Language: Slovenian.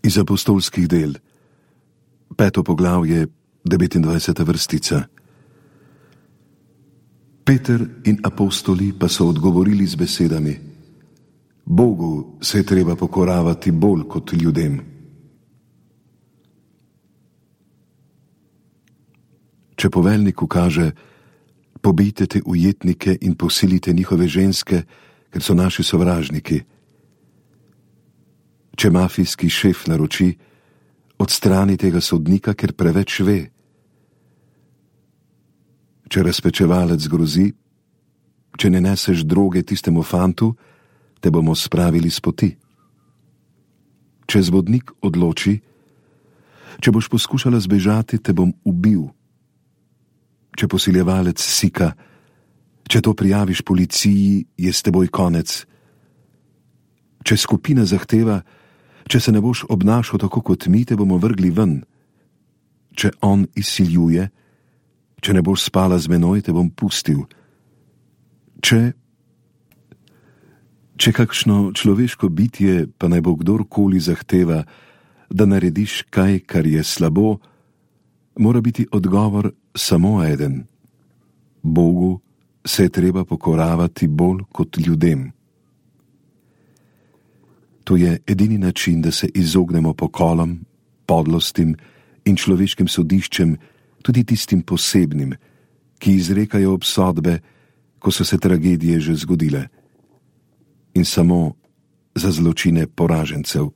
Iz apostolskih del, 5. poglavje, 29. vrstica. Peter in apostoli pa so odgovorili z besedami: Bogu se je treba pokoravati bolj kot ljudem. Če poveljnik ukaže: pobijte te ujetnike in posilite njihove ženske, ker so naši sovražniki. Če mafijski šef naroči: odstrani tega sodnika, ker preveč ve. Če razpečevalec grozi: če ne neseš droge tistemu fantu, te bomo spravili s poti. Če zvodnik odloči: če boš poskušala zbežati, te bom ubil. Če posiljevalec sika: če to prijaviš policiji, je s teboj konec. Če skupina zahteva: če se ne boš obnašal tako kot mi, te bomo vrgli ven. Če on izsiljuje: če ne boš spala z menoj, te bom pustil. Če kakšno človeško bitje, pa naj bo kdorkoli zahteva, da narediš kaj, kar je slabo, mora biti odgovor samo eden: Bogu se je treba pokoravati bolj kot ljudem. To je edini način, da se izognemo pokolom, podlostim in človeškim sodiščem, tudi tistim posebnim, ki izrekajo obsodbe, ko so se tragedije že zgodile, in samo za zločine poražencev.